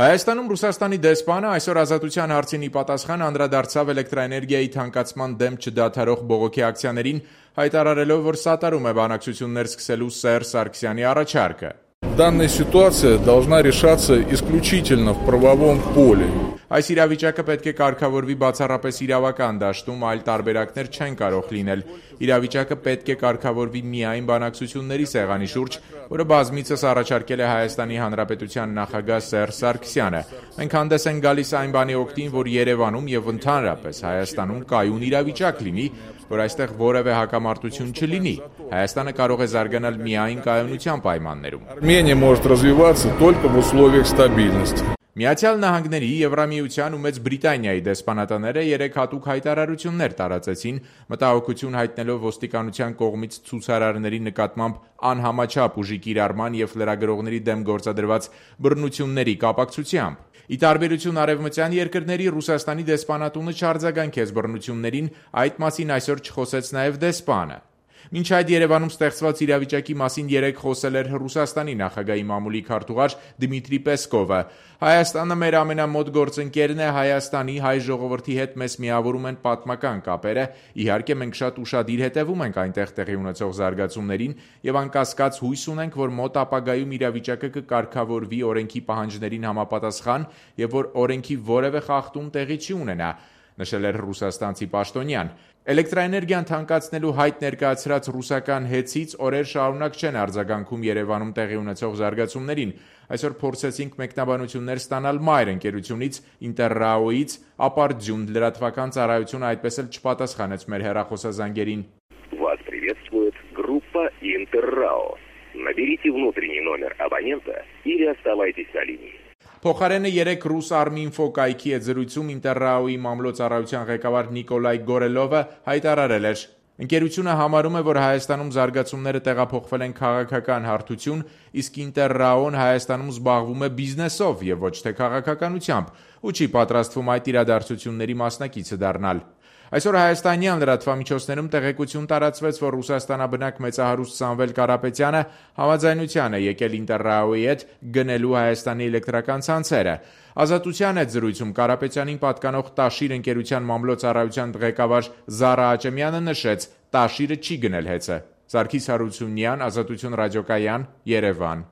Հայաստանում Ռուսաստանի դեսպանը այսօր Ազատության հարցին ի պատասխան անդրադարձավ էլեկտրաէներգիայի թանկացման դեմ չդադարող բողոքի ակցիաներին, հայտարարելով, որ սատարում է բանակցություններ սկսելու Սերժ Սարգսյանի առաջարկը. Данная ситуация должна решаться исключительно в правовом поле. Այս իրավիճակը պետք է կարգավորվի բացառապես իրավական դաշտում, այլ տարբերակներ չեն կարող լինել։ Իրավիճակը պետք է կարգավորվի միայն բանակցությունների սեղանի շուրջ, որը բազմիցս առաջարկել է Հայաստանի Հանրապետության նախագահ Սերժ Սարգսյանը։ Մենք հանդես ենք գալիս այն բանի օգտին, որ Երևանում եւ ընդհանրապես Հայաստանում կայուն իրավիճակ լինի, որ այստեղ որևէ հակամարտություն չլինի։ Հայաստանը կարող է զարգանալ միայն կայունության պայմաններում։ Армения может развиваться только в условиях стабильности. Միացյալ Նահանգների, Եվրամիության ու Մեծ Բրիտանիայի դեսպանատները երեք հատուկ հայտարարություններ տարածեցին, մտահոգություն հայտնելով ոստիկանության կողմից ցուցարարների նկատմամբ անհամաչափ ուժի կիրառման եւ լրագրողների դեմ գործադրված բռնությունների կապակցությամբ։ Ի տարբերություն արևմտյան երկրների, Ռուսաստանի դեսպանատունը չարձագանքեց բռնություններին, այդ մասին այսօր չխոսեց նաեւ դեսպանը։ Մինչ այդ Երևանում ստեղծված իրավիճակի մասին երեկ խոսել էր Ռուսաստանի նախագահի մամուլի քարտուղար Դմիտրի Պեսկովը։ Հայաստանը մեր ամենամոտ գործընկերն է, Հայաստանի հայ ժողովրդի հետ մեզ միավորում են պատմական կապերը, իհարկե մենք շատ ուշադիր հետևում ենք այնտեղ տեղի ունեցող զարգացումներին եւ անկասկած հույս ունենք, որ մոտ ապագայում իրավիճակը կկարգավորվի օրենքի պահանջներին համապատասխան եւ որ օրենքի որևէ խախտում տեղի չի ունենա, նշել էր ռուսաստանցի պաշտոնյան։ Էլեկտրաէներգիան թանկացնելու հայտ ներկայացրած ռուսական հեծից օրեր շարունակ չեն արձագանքում Երևանում տեղի ունեցող զարգացումներին։ Այսօր փորձեցինք մեկնաբանություններ ստանալ մայր ընկերությունից Ինտերրաոից, ապարդյուն լրատվական ծառայությունը այդպես էլ չպատասխանեց մեր հեռախոսազանգերին։ Вас приветствует группа Интеррао. Наберите внутренний номер абонента или оставайтесь на линии. Փոխարենը երեք ռուս Arminfo կայքի հետ զրույցում Ինտերրաոյի մամլոյցարայության ղեկավար Նիկոլայ Գորելովը հայտարարել էր. Ընկերությունը համարում է, որ Հայաստանում զարգացումները տեղափոխվել են քաղաքական հարթություն, իսկ Ինտերրաոն Հայաստանում զբաղվում է բիզնեսով եւ ոչ թե քաղաքականությամբ, ու չի պատրաստվում այդ իրադարձությունների մասնակիցը դառնալ։ Այսօր հայաստանյան լրատվամիջոցներում տեղեկություն տարածվեց, որ Ռուսաստանաբնակ մեծահարուստ Սամվել Կարապետյանը համաձայնության է եկել Ինտերրաոյի հետ գնելու Հայաստանի էլեկտրական ցանցերը։ Ազատության հետ զրույցում Կարապետյանին պատկանող Տաշիր ընկերության մամլոյցարայության ղեկավար Զարա Աճեմյանը նշեց. Տաշիրը չի գնել հեծը։ Սարգիս Հարությունյան, Ազատություն ռադիոկայան, Երևան։